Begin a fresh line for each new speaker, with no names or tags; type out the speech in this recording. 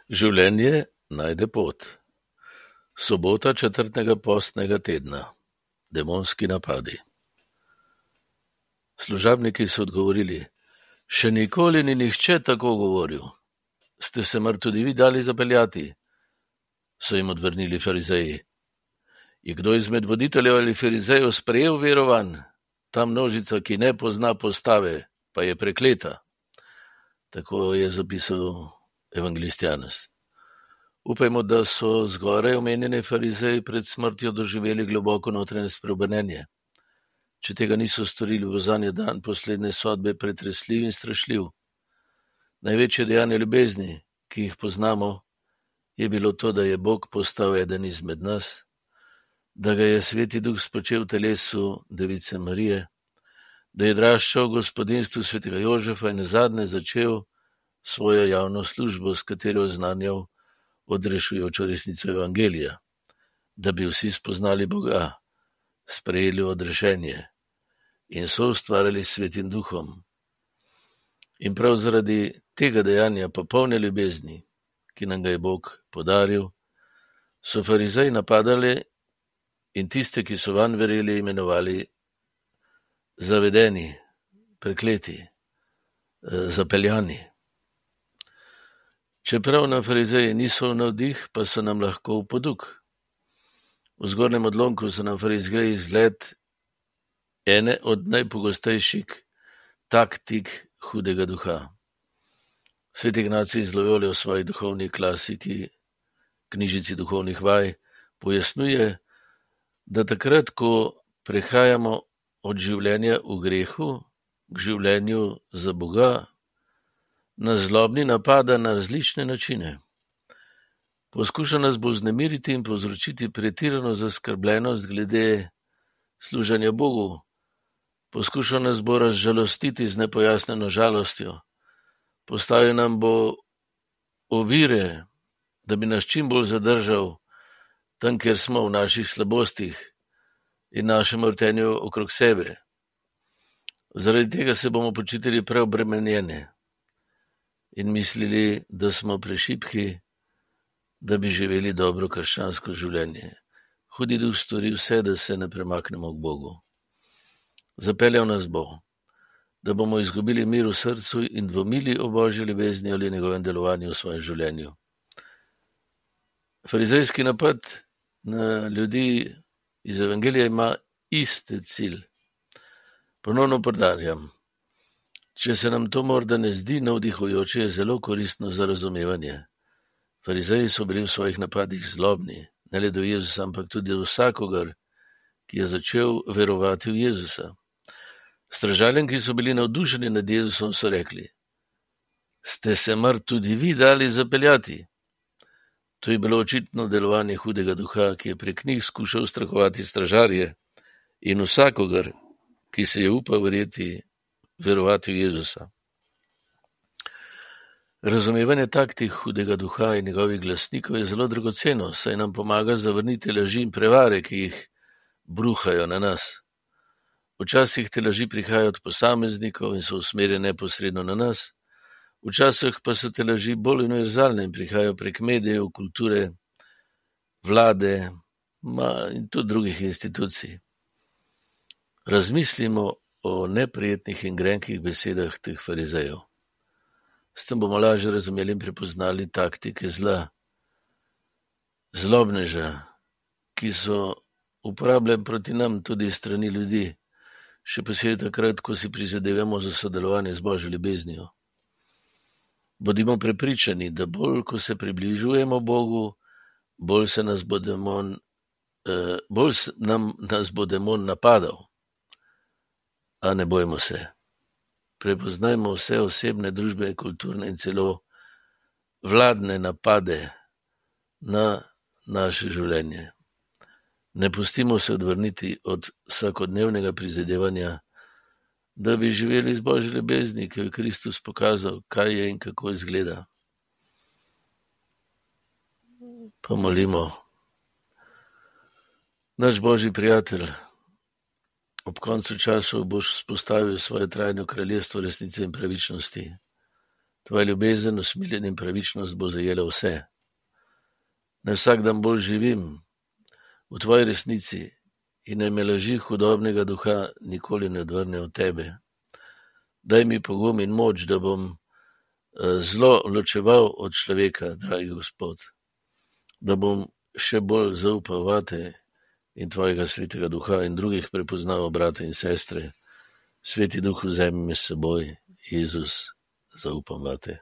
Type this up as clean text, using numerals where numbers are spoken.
Življenje najde pot. Sobota 4. postnega tedna. Demonski napadi. Služabniki so odgovorili: Še nikoli ni nihče tako govoril. Ste se mar tudi vi dali zapeljati? So jim odvrnili farizeji. Je kdo izmed voditeljev ali farizejev sprejel verovanj? Ta množica, ki ne pozna postave, pa je prekleta. Tako je zapisal evangelist Janez. Upajmo, da so zgoraj omenjeni farizeji pred smrtjo doživeli globoko notranje spreobrnenje. Če tega niso storili, bo zanje dan poslednje sodbe pretresljiv in strašljiv. Največje dejanje ljubezni, ki jih poznamo, je bilo to, da je Bog postal eden izmed nas, da ga je Sveti Duh spočel v telesu Device Marije, da je draščal v gospodinstvu svetega Jožefa in nazadnje začel svojo javno službo, s katero je oznanjal odrešujočo resnico Evangelija, da bi vsi spoznali Boga, sprejeli odrešenje in so ustvarjali s Svetim Duhom. In prav zaradi tega dejanja popolne ljubezni, ki nam ga je Bog podaril, so farizeji napadali in tiste, ki so vanj verjeli, imenovali zavedeni, prekleti, zapeljani. Čeprav nam farizeji niso v navdih, pa so nam lahko v poduk. V zgornjem odlomku so nam farizeji izgled ene od najpogostejših taktik hudega duha. Sveti Ignacij iz Loyole v svoji duhovni klasiki, knjižici duhovnih vaj, pojasnjuje, da takrat, ko prehajamo od življenja v grehu k življenju za Boga, nas zlobni napada na različne načine. Poskuša nas bo vznemiriti in povzročiti pretirano zaskrbljenost glede služenja Bogu. Poskuša nas bo razžalostiti z nepojasnjeno žalostjo. Postavil nam bo ovire, da bi nas čim bolj zadržal tam, kjer smo v naših slabostih in našem vrtenju okrog sebe. Zaradi tega se bomo počutili preobremenjeni in mislili, da smo prešibki, da bi živeli dobro krščansko življenje. Hudi duh stori vse, da se ne premaknemo k Bogu. Zapeljal nas bo, da bomo izgubili mir v srcu in dvomili o Božji ljubezni ali njegovem delovanju v svojem življenju. Farizejski napad na ljudi iz Evangelija ima iste cilj. Ponovno poudarjam, če se nam to morda ne zdi navdihujoče, je zelo koristno za razumevanje. Farizeji so bili v svojih napadih zlobni, ne le do Jezusa, ampak tudi do vsakogar, ki je začel verovati v Jezusa. Stražarjem, ki so bili navdušeni nad Jezusom, so rekli: Ste se mar tudi vi dali zapeljati? To je bilo očitno delovanje hudega duha, ki je prek njih skušal strahovati stražarje in vsakogar, ki se je upal verovati v Jezusa. Razumevanje taktik hudega duha in njegovih glasnikov je zelo dragoceno, saj nam pomaga zavrniti laži in prevare, ki jih bruhajo na nas. Včasih te laži prihajajo od posameznikov in so usmerjene neposredno na nas, včasih pa so te laži bolj univerzalne in prihajajo prek medijev, kulture, vlade in tudi drugih institucij. Razmislimo o neprijetnih in grenkih besedah teh farizejev. S tem bomo lažje razumeli in prepoznali taktike zla, zlobneža, ki so uporabljeni proti nam tudi strani ljudi, še posebej takrat, ko si prizadevamo za sodelovanje z Božjo ljubeznijo. Bodimo prepričani, da bolj, ko se približujemo Bogu, bolj nas bo demon napadal. A ne bojmo se. Prepoznajmo vse osebne, družbene, kulturne in celo vladne napade na naše življenje. Ne pustimo se odvrniti od vsakodnevnega prizadevanja, da bi živeli z Božjo ljubezni, ki je Kristus pokazal, kaj je in kako izgleda. Pomolimo. Naš Božji prijatelj, ob koncu časov boš vzpostavil svoje trajno kraljestvo resnice in pravičnosti. Tvoja ljubezen, usmiljen in pravičnost bo zajela vse. Naj vsak dan bolj živim v tvoji resnici in naj me laži hudobnega duha nikoli ne odvrne od tebe. Daj mi pogum in moč, da bom zlo ločeval od človeka, dragi Gospod, da bom še bolj zaupal vate in tvojega svetega duha in drugih prepoznaval brate in sestre. Sveti duh, vzemi me s seboj, Jezus, zaupam vate.